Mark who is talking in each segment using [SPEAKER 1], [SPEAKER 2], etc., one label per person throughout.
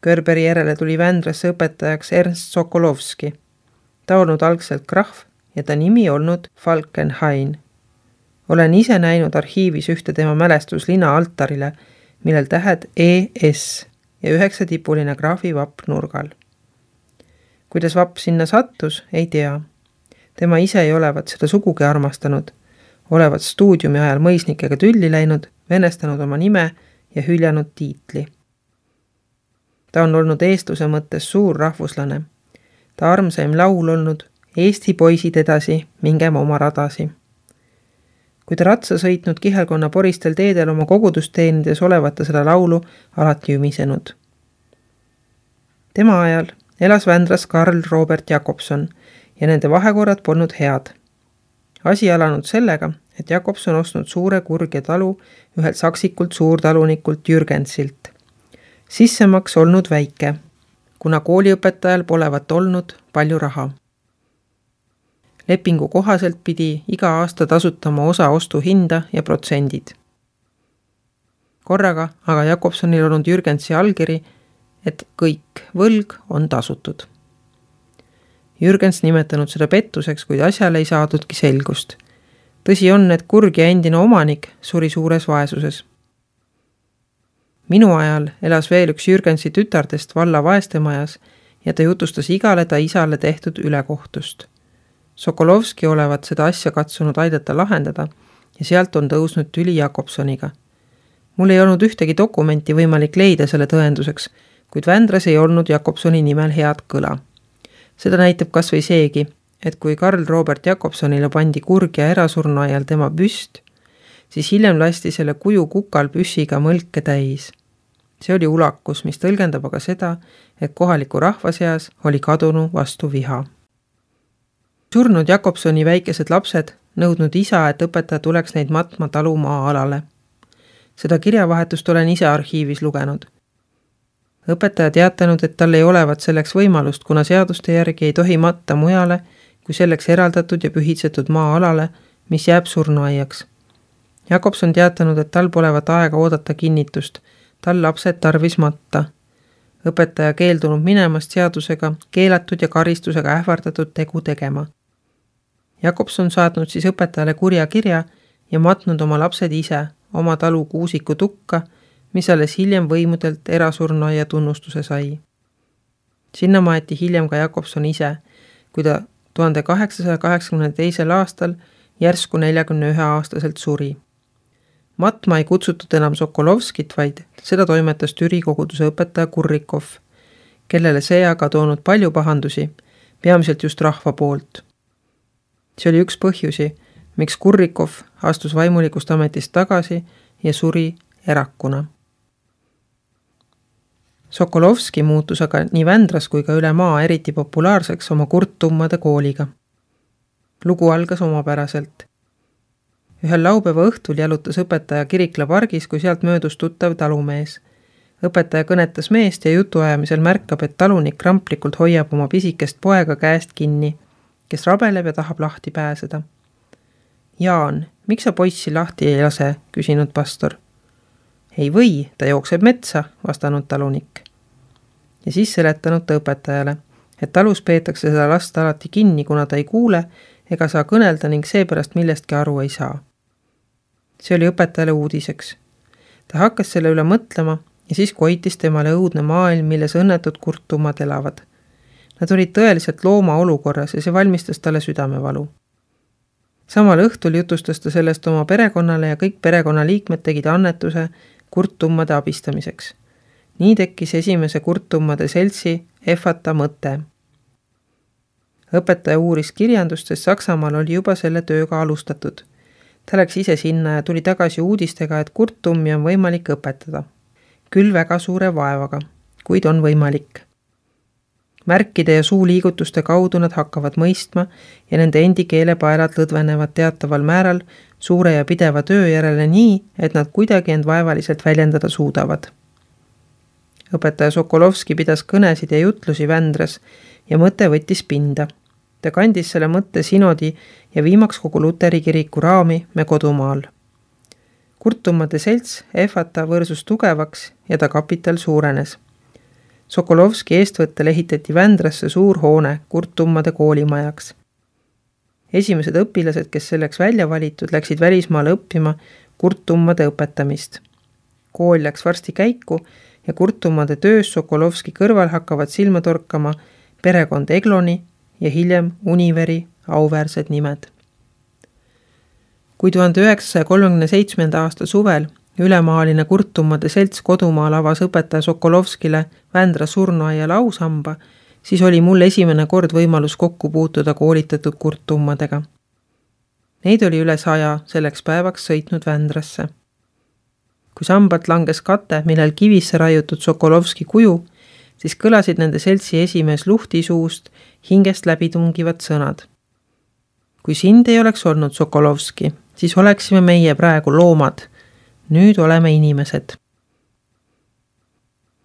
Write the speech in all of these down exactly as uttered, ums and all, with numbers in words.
[SPEAKER 1] Körberi järele tuli Vändраsse õpetajaks Ernst Sokolovski. Ta olnud algselt krahv ja ta nimi olnud Falkenhayn. Olen ise näinud arhiivis ühte tema mälestuslina altarile, millel tähed E S ja üheksatipuline graafi vapp nurgal. Kuidas vapp sinna sattus, ei tea. Tema ise ei olevat seda sugugi armastanud, olevat stuudiumi ajal mõisnikega tülli läinud, venestanud oma nime ja hüljanud tiitli. Ta on olnud eestluse mõttes suur rahvuslane. Ta armsaim laul olnud Eesti poisid edasi, mingem oma radasi. Kui ta ratsa sõitnud kihelkonna poristel teedel oma kogudusteenides olevat ta seda laulu alati ümisenud. Tema ajal elas Vändras Karl Robert Jakobson ja nende vahekorrad polnud head. Asi alanud sellega, et Jakobson ostnud suure kurge talu ühelt saksikult suurtalunikult Jürgensilt. Sissemaks olnud väike, kuna kooliõpetajal polevat olnud palju raha. Lepingu kohaselt pidi iga aasta tasutama osa ostu hinda ja protsendid. Korraga aga Jakobsonil olnud Jürgensi allkiri, et kõik võlg on tasutud. Jürgens nimetanud seda pettuseks, kuid asjale ei saadudki selgust. Tõsi on, et kurg ja endine omanik suri suures vaesuses. Minu ajal elas veel üks Jürgensi tütardest valla vaestemajas ja ta jutustas igale ta isale tehtud ülekohtust. Sokolovski olevat seda asja katsunud aidata lahendada ja sealt on tõusnud tüli Jakobsoniga. Mul ei olnud ühtegi dokumenti võimalik leida selle tõenduseks, kuid Vändras ei olnud Jakobsoni nimel head kõla. Seda näitab kas või seegi, et kui Karl Robert Jakobsonile pandi kurg ja erasurnu ajal tema püst, siis hiljem lasti selle kuju kukal püssiga mõlke täis. See oli ulakus, mis tõlgendab aga seda, et kohaliku rahva seas oli kadunu vastu viha. Surnud Jakobsoni väikesed lapsed nõudnud isa, et õpetaja tuleks neid matma talu maa-alale. Seda kirjavahetust olen ise arhiivis lugenud. Õpetaja teatanud, et tal ei olevat selleks võimalust, kuna seaduste järgi ei tohi matta mujale, kui selleks eraldatud ja pühitsetud maa-alale, mis jääb surnuaiaks. Jakobson teatanud, et tal polevat aega oodata kinnitust, tal lapsed tarvis matta. Õpetaja keeldunud minemast seadusega, keelatud ja karistusega ähvardatud tegu tegema. Jakobson saatnud siis õpetajale kurja kirja ja matnud oma lapsed ise oma talu kuusiku tukka, mis alles hiljem võimudelt erasurnuaia tunnustuse sai. Sinna maeti hiljem ka Jakobson ise, kui ta tuhande kaheksasaja kaheksakümne teisel aastal järsku neljakümne ühe aastaselt suri. Matma ei kutsutud enam Sokolovskit, vaid seda toimetas Türi koguduse õpetaja Kurrikov, kellele see aga toonud palju pahandusi, peamiselt just rahva poolt. See oli üks põhjusi, miks Kurrikov astus vaimulikust ametist tagasi ja suri erakuna. Sokolovski muutus aga nii Vändras kui ka üle maa eriti populaarseks oma kurttummade kooliga. Lugu algas omapäraselt. Ühel laupäeva õhtul jalutas õpetaja Kirikla pargis, kui sealt möödus tuttav talumees. Õpetaja kõnetas meest ja jutuajamisel märkab, et talunik kramplikult hoiab oma pisikest poega käest kinni, kes rabeleb ja tahab lahti pääseda. Jaan, miks sa poissi lahti ei lase, küsinud pastor. Ei või, ta jookseb metsa, vastanud talunik. Ja siis seletanud ta õpetajale, et talus peetakse seda last alati kinni, kuna ta ei kuule ega saa kõnelda ning seepärast millestki aru ei saa. See oli õpetajale uudiseks. Ta hakkas selle üle mõtlema ja siis koitis temale õudne maailm, milles õnnetud kurttummad elavad. Nad olid tõeliselt looma olukorras ja see valmistas talle südamevalu. Samal õhtul jutustas ta sellest oma perekonnale ja kõik perekonnaliikmed tegid annetuse kurttummade abistamiseks. Nii tekkis esimese kurttummade seltsi Efata mõte. Õpetaja uuris kirjandust, sest Saksamaal oli juba selle tööga alustatud. Ta läks ise sinna ja tuli tagasi uudistega, et kurttummi on võimalik õpetada. Küll väga suure vaevaga, kuid on võimalik. Märkide ja suuliigutuste kaudu nad hakkavad mõistma ja nende endi keelepaelad lõdvenevad teataval määral suure ja pideva töö järele nii, et nad kuidagi end vaevaliselt väljendada suudavad. Õpetaja Sokolovski pidas kõnesid ja jutlusi Vändras ja mõte võttis pinda. Ta kandis selle mõtte sinodi ja viimaks kogu Luteri kiriku raami me kodumaal. Kurttummade selts Efata võrsus tugevaks ja ta kapital suurenes. Sokolovski eestvõttel ehitati Vändrasse suur hoone Kurttummade koolimajaks. Esimesed õpilased, kes selleks välja valitud, läksid välismaale õppima Kurttummade õpetamist. Kool läks varsti käiku ja Kurttummade töös Sokolovski kõrval hakkavad silma torkama perekond Egloni ja hiljem Univeri auväärsed nimed. Kui tuhande üheksasaja kolmekümne seitsmenda aasta suvel ülemaaline Kurttummade selts kodumaal avas õpetaja Sokolovskile Vändra surnuaia lausamba, siis oli mul esimene kord võimalus kokku puutuda koolitatud Kurttummadega. Neid oli üle saja selleks päevaks sõitnud Vändrasse. Kui sambalt langes kate, millel kivisse raiutud Sokolovski kuju, siis kõlasid nende seltsi esimees Luhti suust hingest läbi tungivad sõnad. Kui sind ei oleks olnud, Sokolovski, siis oleksime meie praegu loomad. Nüüd oleme inimesed.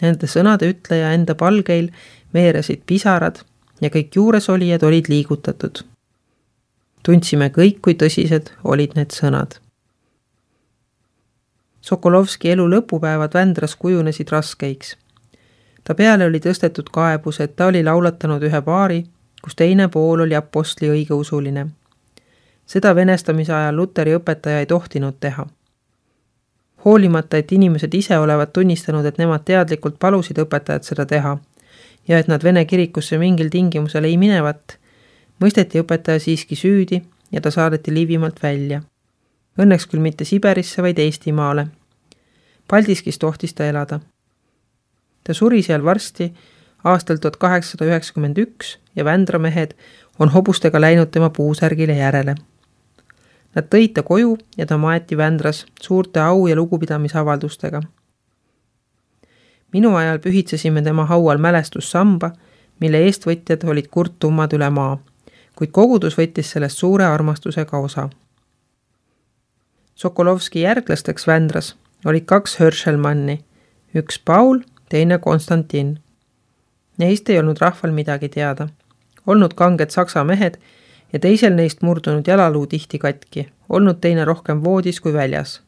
[SPEAKER 1] Nende sõnade ütleja enda palgeil veeresid pisarad ja kõik juuresolijad olid liigutatud. Tundsime kõik, kui tõsised olid need sõnad. Sokolovski elu lõpupäevad Vändras kujunesid raskeiks. Ta peale oli tõstetud kaebus, et ta oli laulatanud ühe paari, kus teine pool oli apostli õigeusuline. Seda venestamise ajal Luteri õpetaja ei tohtinud teha. Hoolimata, et inimesed ise olevat tunnistanud, et nemad teadlikult palusid õpetajat seda teha ja et nad Vene kirikusse mingil tingimusel ei minevat, mõisteti õpetaja siiski süüdi ja ta saadeti Liivimaalt välja. Õnneks küll mitte Siberisse, vaid Eestimaale. Paldiskis tohtis ta elada. Ta suri seal varsti aastal tuhat kaheksasada üheksakümmend üks ja Vändra mehed on hobustega läinud tema puusärgile järele. Nad tõid ta koju ja ta maeti Vändras suurte au- ja lugupidamisavaldustega. Minu ajal pühitsesime tema haual mälestussamba, mille eestvõtjad olid Kurttummad üle maa, kuid kogudus võttis sellest suure armastusega osa. Sokolovski järglasteks Vändras olid kaks Höršelmanni, üks Paul, teine Konstantin. Neist ei olnud rahval midagi teada. Olnud kanged saksa mehed ja teisel neist murdunud jalaluu tihti katki, olnud teine rohkem voodis kui väljas.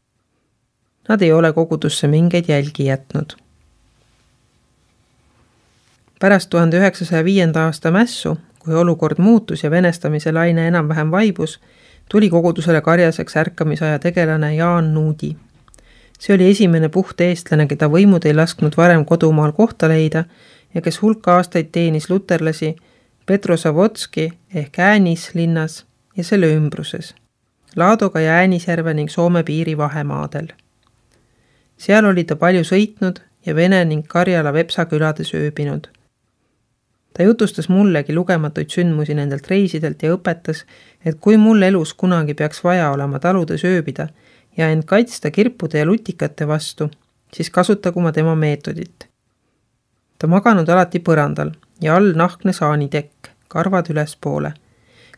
[SPEAKER 1] Nad ei ole kogudusse mingeid jälgi jätnud. Pärast tuhande üheksasaja viienda aasta mässu, kui olukord muutus ja venestamise laine enam-vähem vaibus, tuli kogudusele karjaseks ärkamisaja tegelane Jaan Nuudi. See oli esimene puht eestlane, keda võimud ei lasknud varem kodumaal kohta leida ja kes hulka aastaid teenis luterlasi Petrosavodski ehk Äänis linnas ja selle ümbruses, Laadoga ja Äänisjärve ning Soome piiri vahemaadel. Seal oli ta palju sõitnud ja Vene ning Karjala Vepsa külades ööbinud. Ta jutustas mullegi lugematuid sündmusi nendelt reisidelt ja õpetas, et kui mul elus kunagi peaks vaja olema taludes ööbida ja end kaitsta kirpude ja lutikate vastu, siis kasutagu ma tema meetodit. Ta maganud alati põrandal ja all nahkne saanitekk, karvad ülespoole.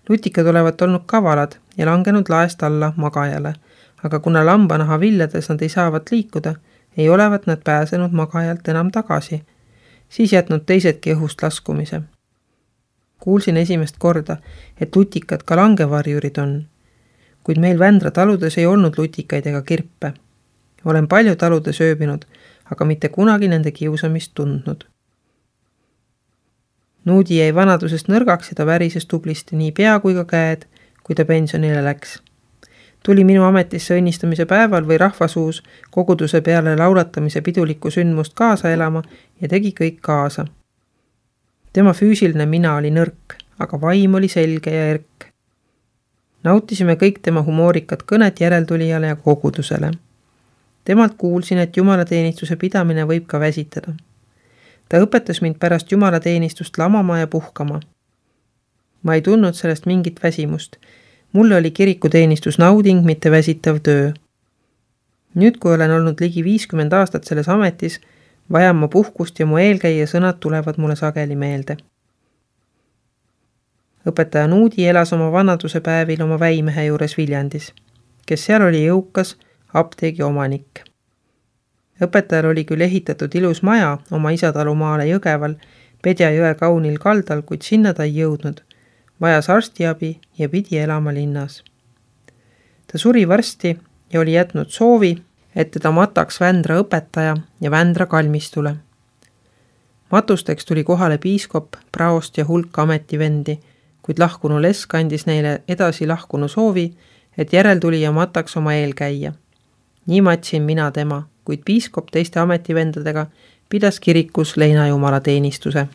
[SPEAKER 1] Lutikad olevat olnud kavalad ja langenud laest alla magajale, aga kuna lambanaha viljades nad ei saavat liikuda, ei olevat nad pääsenud magajalt enam tagasi, siis jätnud teisedki õhust laskumise. Kuulsin esimest korda, et lutikad ka langevarjurid on, kuid meil Vändra taludes ei olnud lutikaid ega kirpe. Olen palju taludes ööbinud, aga mitte kunagi nende kiusamist tundnud. Nuudi jäi vanadusest nõrgaks ja ta värises tublisti nii pea kui ka käed, kui ta pensionile läks. Tuli minu ametisse õnnistamise päeval või rahvasuus koguduse peale laulatamise pidulikku sündmust kaasa elama ja tegi kõik kaasa. Tema füüsiline mina oli nõrk, aga vaim oli selge ja erk. Nautisime kõik tema humoorikat kõnet järeltulijale ja kogudusele. Temalt kuulsin, et jumalateenistuse pidamine võib ka väsitada. Ta õpetas mind pärast jumalateenistust lamama ja puhkama. Ma ei tundnud sellest mingit väsimust. Mulle oli kirikuteenistus nauding, mitte väsitav töö. Nüüd, kui olen olnud ligi viiskümmend aastat selles ametis, vajan ma puhkust ja mu eelkäija sõnad tulevad mulle sageli meelde. Õpetaja Nuudi elas oma vanaduse päevil oma väimehe juures Viljandis, kes seal oli jõukas apteegi omanik. Õpetajal oli küll ehitatud ilus maja oma isatalumaale Jõgeval, Pedja jõe kaunil kaldal, kuid sinna ta ei jõudnud. Vajas arstiabi ja pidi elama linnas. Ta suri varsti ja oli jätnud soovi, et teda mataks Vändra õpetaja ja Vändra kalmistule. Matusteks tuli kohale piiskop, praost ja hulk ametivendi, kuid lahkunu Lesk andis neile edasi lahkunu soovi, et järeltulija mataks oma eelkäija. Nii matsin mina tema, kuid piiskop teiste ametivendadega pidas kirikus leinajumala teenistuse.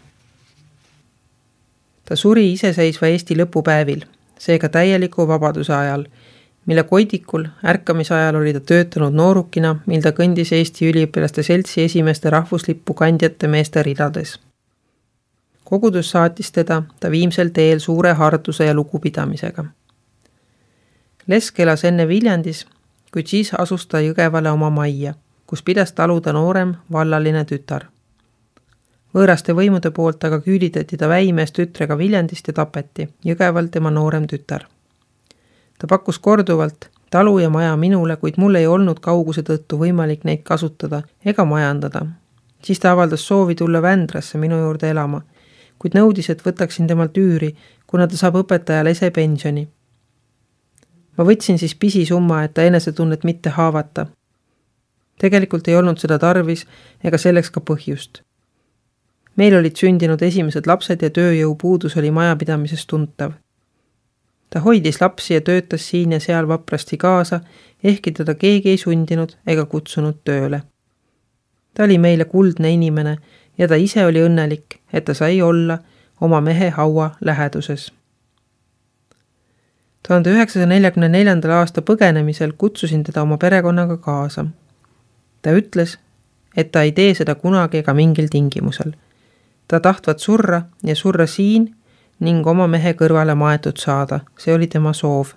[SPEAKER 1] Ta suri iseseisva Eesti lõpupäevil, seega täieliku vabaduse ajal, mille koidikul ärkamise ajal oli ta töötanud noorukina, mil ta kõndis Eesti üliõpilaste seltsi esimeste rahvuslippu kandjate meeste ridades. Kogudus saatis teda ta viimsel teel suure harduse ja lugupidamisega. Lesk elas enne Viljandis, kuid siis asus ta Jõgevale oma majja, kus pidas taluda noorem vallaline tütar. Võõraste võimude poolt aga küülitati ta väimees tütrega Viljandist ja tapeti, Jõgeval tema noorem tütar. Ta pakkus korduvalt talu ja maja minule, kuid mul ei olnud kauguse tõttu võimalik neid kasutada ega majandada. Siis ta avaldas soovi tulla Vändrasse minu juurde elama, kuid nõudis, et võtaksin temalt üüri, kuna ta saab õpetajale ese pensioni. Ma võtsin siis pisisumma, et ta enesetunnet mitte haavata. Tegelikult ei olnud seda tarvis ega selleks ka põhjust. Meil olid sündinud esimesed lapsed ja tööjõu puudus oli majapidamises tuntav. Ta hoidis lapsi ja töötas siin ja seal vaprasti kaasa, ehkki teda keegi ei sundinud ega kutsunud tööle. Ta oli meile kuldne inimene ja ta ise oli õnnelik, et ta sai olla oma mehe haua läheduses. tuhande üheksasaja neljakümne neljandal aasta põgenemisel kutsusin teda oma perekonnaga kaasa. Ta ütles, et ta ei tee seda kunagi ega mingil tingimusel. Ta tahtvat surra ja surra siin ning oma mehe kõrvale maetud saada. See oli tema soov.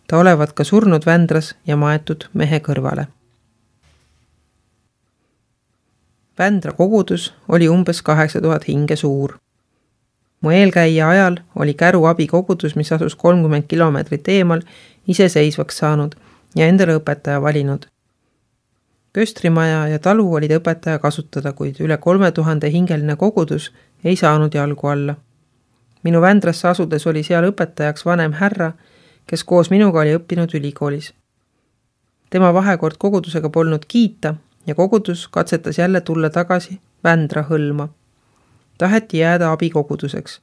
[SPEAKER 1] Ta olevat ka surnud Vändras ja maetud mehe kõrvale. Vändra kogudus oli umbes kaheksa tuhat hinge suur. Mu eelkäija ajal oli Käru abikogudus, mis asus kolmkümmend kilomeetrit eemal, iseseisvaks saanud ja endale õpetaja valinud. Köstrimaja ja talu olid õpetaja kasutada, kuid üle kolme tuhande hingeline kogudus ei saanud jalgu alla. Minu Vändrasse asudes oli seal õpetajaks vanem härra, kes koos minuga oli õppinud ülikoolis. Tema vahekord kogudusega polnud kiita ja kogudus katsetas jälle tulla tagasi Vändra hõlma. Taheti jääda abikoguduseks.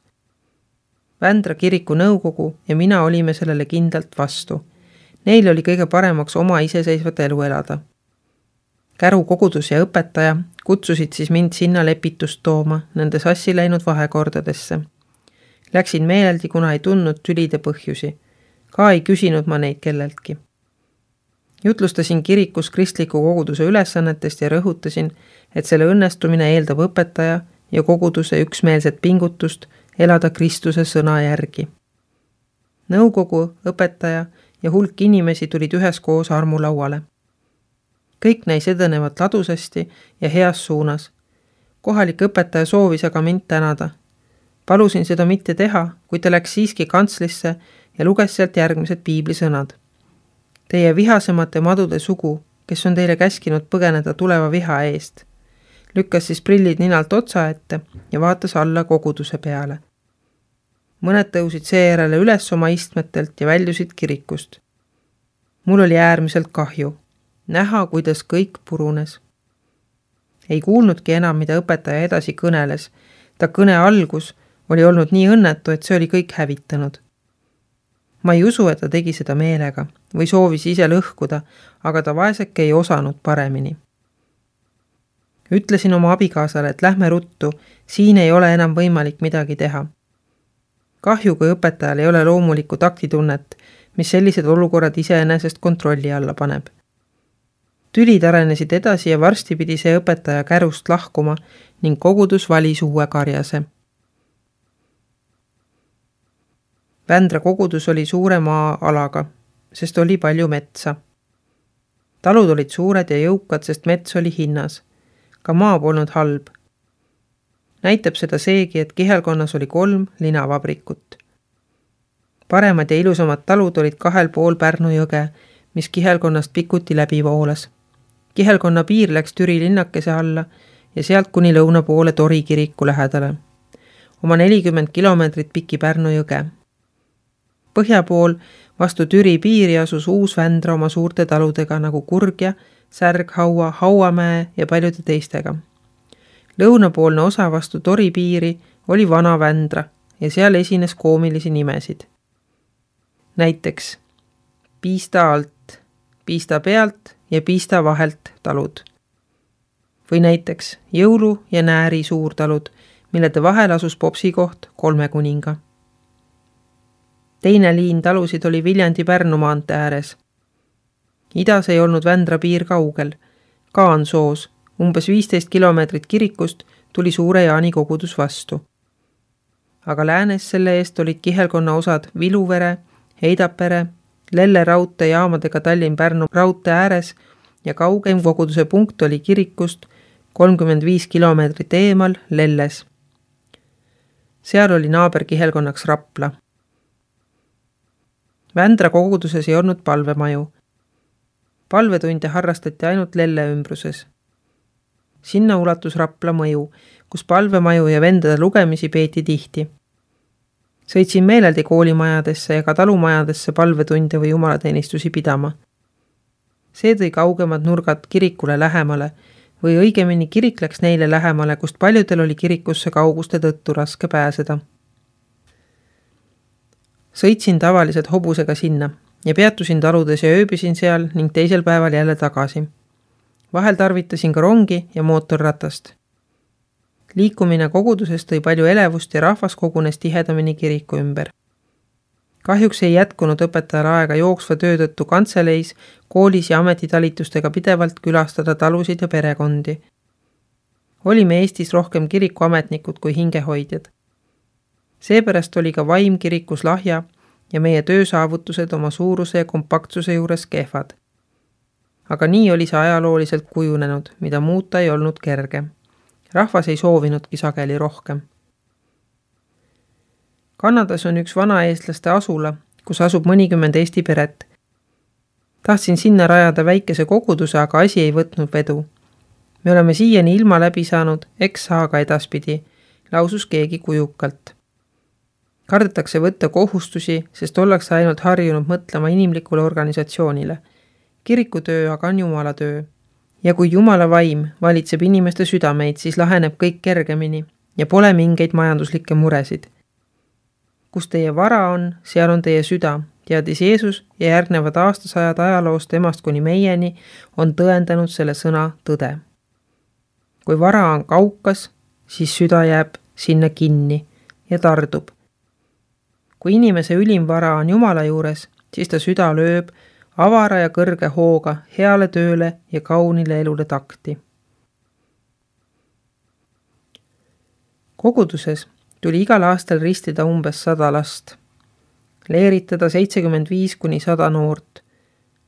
[SPEAKER 1] Vändra kiriku nõukogu ja mina olime sellele kindlalt vastu. Neil oli kõige paremaks oma iseseisvat elu elada. Käru kogudus ja õpetaja kutsusid siis mind sinna lepitust tooma nende sassi läinud vahekordadesse. Läksin meeleldi, kuna ei tundnud tülide põhjusi. Ka ei küsinud ma neid kelleltki. Jutlustasin kirikus kristliku koguduse ülesannetest ja rõhutasin, et selle õnnestumine eeldab õpetaja ja koguduse üksmeelset pingutust elada Kristuse sõna järgi. Nõukogu, õpetaja ja hulk inimesi tulid üheskoos armulauale. Kõik näis edenevat ladusasti ja heas suunas. Kohalik õpetaja soovis aga mind tänada. Palusin seda mitte teha, kui ta läks siiski kantslisse ja luges sealt järgmised piiblisõnad. Teie vihasemate madude sugu, kes on teile käskinud põgeneda tuleva viha eest. Lükkas siis prillid ninalt otsa ette ja vaatas alla koguduse peale. Mõned tõusid seejärele üles oma istmetelt ja väljusid kirikust. Mul oli äärmiselt kahju. Näha, kuidas kõik purunes. Ei kuulnudki enam, mida õpetaja edasi kõneles. Ta kõne algus oli olnud nii õnnetu, et see oli kõik hävitanud. Ma ei usu, et ta tegi seda meelega või soovis ise lõhkuda, aga ta vaeseke ei osanud paremini. Ütlesin oma abikaasale, et lähme ruttu, siin ei ole enam võimalik midagi teha. Kahju, kui õpetajal ei ole loomulikku taktitunnet, mis sellised olukorrad iseenesest kontrolli alla paneb. Tülid arenesid edasi ja varsti pidi see õpetaja Kärust lahkuma ning kogudus valis uue karjase. Vändra kogudus oli suure maa-alaga, sest oli palju metsa. Talud olid suured ja jõukad, sest mets oli hinnas. Ka maa polnud halb. Näitab seda seegi, et Kihelkonnas oli kolm linavabrikut. Paremad ja ilusamad talud olid kahel pool Pärnu jõge, mis Kihelkonnast pikuti läbi voolas. Kihelkonna piir läks Türi linnakese alla ja sealt kuni lõuna poole Tori kiriku lähedale. Oma nelikümmend kilomeetrit piki Pärnu jõge. Põhja pool vastu Türi piiri asus uus Vändra oma suurte taludega nagu Kurgja, Särg, Haua, Hauamäe ja paljude teistega. Lõunapoolne osa vastu Tori piiri oli Vana Vändra ja seal esines koomilisi nimesid. Näiteks Piista alt, Piista pealt ja Piista vahelt talud. Või näiteks Jõulu ja Nääri suurtalud, millede vahel asus popsikoht Kolme kuninga. Teine liin talusid oli Viljandi-Pärnu maantee ääres. Idas ei olnud Vändra piir kaugel. Kaansoos, umbes viisteist kilomeetrit kirikust, tuli Suure Jaani kogudus vastu. Aga läänes selle eest olid kihelkonna osad Viluvere, Heidapere, Lelle raudtee jaamadega Tallinn-Pärnu raudtee ääres ja kaugeim koguduse punkt oli kirikust kolmkümmend viis kilomeetrit eemal Lelles. Seal oli naaber kihelkonnaks Rapla. Vändra koguduses ei olnud palvemaju. Palvetunde harrastati ainult Lelle ümbruses. Sinna ulatus Rapla mõju, kus palvemaju ja vendade lugemisi peeti tihti. Sõitsin meeleldi koolimajadesse ja ka talumajadesse palvetunde või jumalateenistusi pidama. See tõi kaugemad nurgad kirikule lähemale või õigemini kirik läks neile lähemale, kust paljudel oli kirikusse kauguste tõttu raske pääseda. Sõitsin tavaliselt hobusega sinna ja peatusin taludes ja ööbisin seal ning teisel päeval jälle tagasi. Vahel tarvitasin ka rongi ja mootorratast. Liikumine koguduses tõi palju elevust ja rahvas kogunes tihedamini kiriku ümber. Kahjuks ei jätkunud õpetajal aega jooksva töö tõttu kantseleis, koolis ja ametitalitustega pidevalt külastada talusid ja perekondi. Olime Eestis rohkem kirikuametnikud kui hingehoidjad. Seepärast oli ka vaim kirikus lahja ja meie töösaavutused oma suuruse ja kompaktsuse juures kehvad. Aga nii oli see ajalooliselt kujunenud, mida muuta ei olnud kerge. Rahvas ei soovinudki sageli rohkem. Kanadas on üks vanaeestlaste asula, kus asub mõnikümmend Eesti peret. Tahtsin sinna rajada väikese koguduse, aga asi ei võtnud vedu. Me oleme siiani ilma läbi saanud, eks saa ka edaspidi, lausus keegi kujukalt. Kardetakse võtta kohustusi, sest ollakse ainult harjunud mõtlema inimlikule organisatsioonile. Kirikutöö aga on Jumala töö. Ja kui Jumala vaim valitseb inimeste südameid, siis laheneb kõik kergemini ja pole mingeid majanduslikke muresid. Kus teie vara on, seal on teie süda, teadis Jeesus ja järgnevad aastasajad ajaloost emast kuni meieni on tõendanud selle sõna tõde. Kui vara on kaukas, siis süda jääb sinna kinni ja tardub. Kui inimese ülim vara on Jumala juures, siis ta süda lööb avara ja kõrge hooga heale tööle ja kaunile elule takti. Koguduses tuli igal aastal ristida umbes sada last, leeritada seitsekümmend viis kuni sada noort,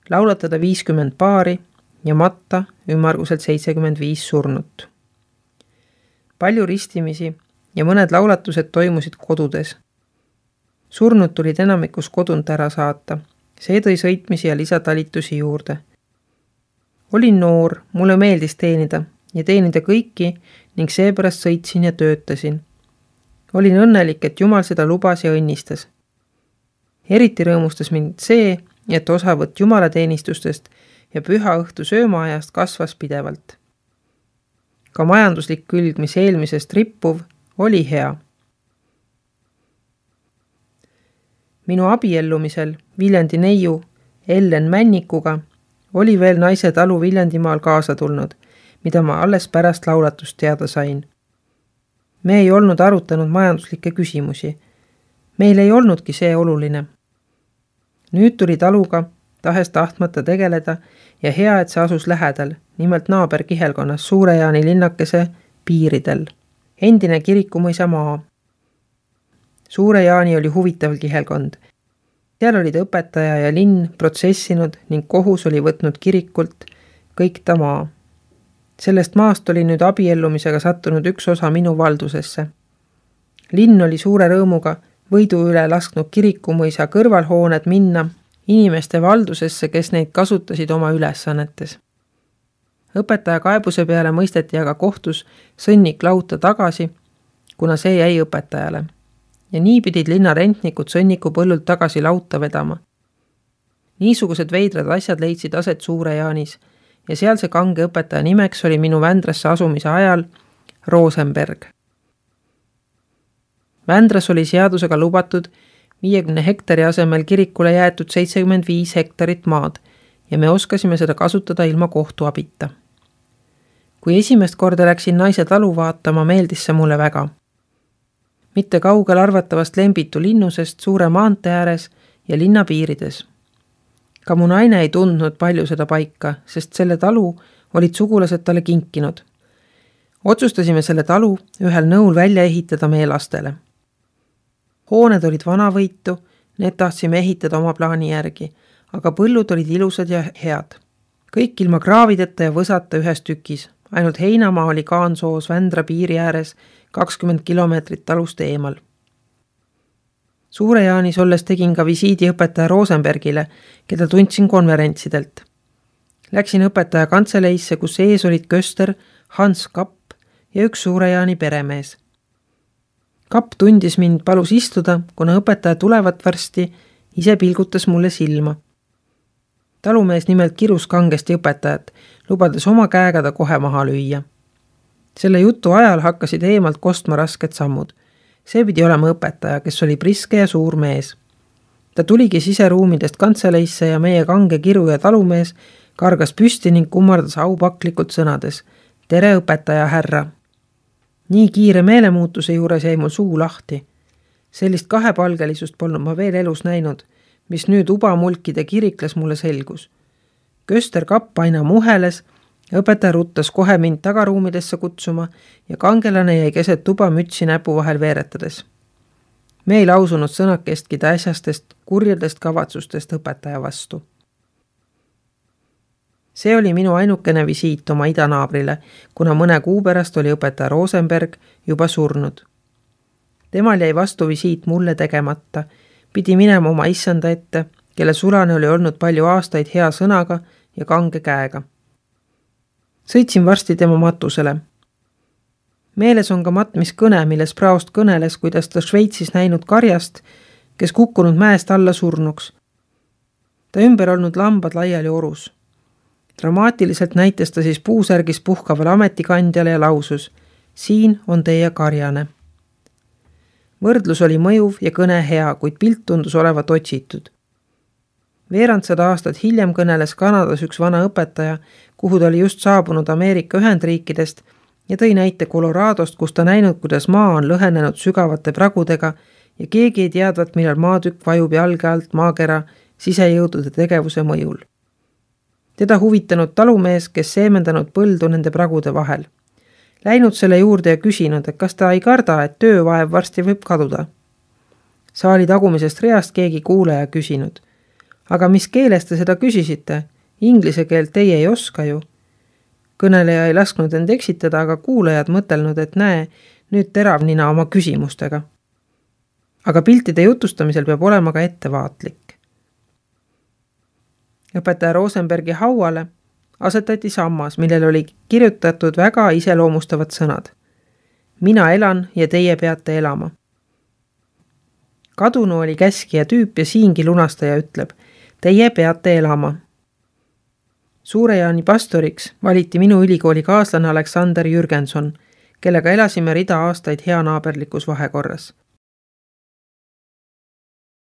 [SPEAKER 1] laulatada viiskümmend paari ja matta ümmarguselt seitsekümmend viis surnut. Palju ristimisi ja mõned laulatused toimusid kodudes. Surnud tulid enamikus kodunt ära saata. See tõi sõitmisi ja lisatalitusi juurde. Olin noor, mulle meeldis teenida ja teenida kõiki ning seepärast sõitsin ja töötasin. Olin õnnelik, et Jumal seda lubas ja õnnistas. Eriti rõõmustas mind see, et osavõtt jumalateenistustest ja püha õhtu söömaajast kasvas pidevalt. Ka majanduslik külg, mis eelmisest rippuv, oli hea. Minu abiellumisel Viljandi neiu Ellen Männikuga oli veel naise talu Viljandimaal kaasa tulnud, mida ma alles pärast laulatust teada sain. Me ei olnud arutanud majanduslikke küsimusi. Meil ei olnudki see oluline. Nüüd tuli taluga, tahes tahtmata tegeleda ja hea, et see asus lähedal, nimelt naaber kihelkonnas Suure Jaani linnakese piiridel. Endine Kirikumõisa maa. Suure Jaani oli huvitav kihelkond. Seal olid õpetaja ja linn protsessinud ning kohus oli võtnud kirikult kõik ta maa. Sellest maast oli nüüd abiellumisega sattunud üks osa minu valdusesse. Linn oli suure rõõmuga võidu üle lasknud Kirikumõisa kõrvalhooned minna inimeste valdusesse, kes neid kasutasid oma ülesannetes. Õpetaja kaebuse peale mõisteti aga kohtus sõnnik lauta tagasi, kuna see jäi õpetajale. Ja nii pidid linna rentnikud sõnniku põllult tagasi lauta vedama. Niisugused veidrad asjad leidsid aset Suure Jaanis ja sealse kange õpetaja nimeks oli minu Vändrasse asumise ajal Rosenberg. Vändras oli seadusega lubatud viiekümne hektari asemel kirikule jäetud seitsekümmend viis hektarit maad ja me oskasime seda kasutada ilma kohtu abita. Kui esimest korda läksin naise talu vaatama, meeldis see mulle väga. Mitte kaugel arvatavast Lembitu linnusest suure maantee ääres ja linna piirides. Ka mu naine ei tundnud palju seda paika, sest selle talu olid sugulased talle kinkinud. Otsustasime selle talu ühel nõul välja ehitada meie lastele. Hooned olid vanavõitu, need tahtsime ehitada oma plaani järgi, aga põllud olid ilusad ja head. Kõik ilma kraavideta ja võsata ühes tükis, ainult heinamaa oli Kaansoos Vändra piiri ääres kakskümmend kilomeetrit talust eemal. Suure-Jaanis olles tegin ka visiidi õpetaja Rosenbergile, keda tundsin konverentsidelt. Läksin õpetaja kantseleisse, kus ees olid Köster, Hans Kapp ja üks Suure-Jaani peremees. Kapp tundis mind, palus istuda, kuna õpetaja tulevat varsti, ise pilgutas mulle silma. Talumees nimelt kirus kangesti õpetajat, lubades oma käega ta kohe maha lüüa. Selle jutu ajal hakkasid eemalt kostma rasked sammud. See pidi olema õpetaja, kes oli priske ja suur mees. Ta tuligi siseruumidest kantseleisse ja meie kange kiru ja talumees kargas püsti ning kummardas aupaklikult sõnades. Tere õpetaja härra! Nii kiire meelemuutuse juures jäi mul suu lahti. Sellist kahepalgelisust polnud ma veel elus näinud, mis nüüd ubamulkide kirikles mulle selgus. Köster Kapp aina muheles, õpetaja ruttas kohe mind tagaruumidesse kutsuma ja kangelane jäi keset tuba mütsi näpu vahel veeretades. Me ei lausunud sõnakestki äsjastest kurjadest kavatsustest õpetaja vastu. See oli minu ainukene visiit oma idanaabrile, kuna mõne kuu pärast oli õpetaja Rosenberg juba surnud. Temal jäi vastu visiit mulle tegemata, pidi minema oma issanda ette, kelle sulane oli olnud palju aastaid hea sõnaga ja kange käega. Sõitsin varsti tema matusele. Meeles on ka matmis kõne, milles praost kõneles, kuidas ta Šveitsis näinud karjast, kes kukkunud mäest alla surnuks. Ta ümber olnud lambad laiali orus. Dramaatiliselt näitas ta siis puusärgis puhkavale ametikandjale ja lausus, siin on teie karjane. Võrdlus oli mõjuv ja kõne hea, kuid pilt tundus olevat otsitud. Veerandsada aastat hiljem kõneles Kanadas üks vana õpetaja, kuhu ta oli just saabunud Ameerika Ühendriikidest ja tõi näite Coloradost, kus ta näinud, kuidas maa on lõhenenud sügavate pragudega ja keegi ei teadvat, millal maatükk vajub jalge alt maakera sisejõudude tegevuse mõjul. Teda huvitanud talumees, kes seemendanud põldu nende pragude vahel. Läinud selle juurde ja küsinud, et kas ta ei karda, et töövaev varsti võib kaduda. Saali tagumisest reast keegi kuulaja küsinud. Aga mis keeles te seda küsisite? Inglise keelt teie ei oska ju. Kõneleja ei lasknud end eksitada, aga kuulajad mõtelnud, et näe, nüüd terav nina oma küsimustega. Aga piltide jutustamisel peab olema ka ettevaatlik. Õpetaja Rosenbergi hauale asetati sammas, millel oli kirjutatud väga iseloomustavad sõnad. Mina elan ja teie peate elama. Kadunu oli käskija tüüp ja siingi lunastaja ütleb, teie peate elama. Suure-Jaani pastoriks valiti minu ülikooli kaaslane Aleksander Jürgenson, kellega elasime rida aastaid hea naaberlikus vahekorras.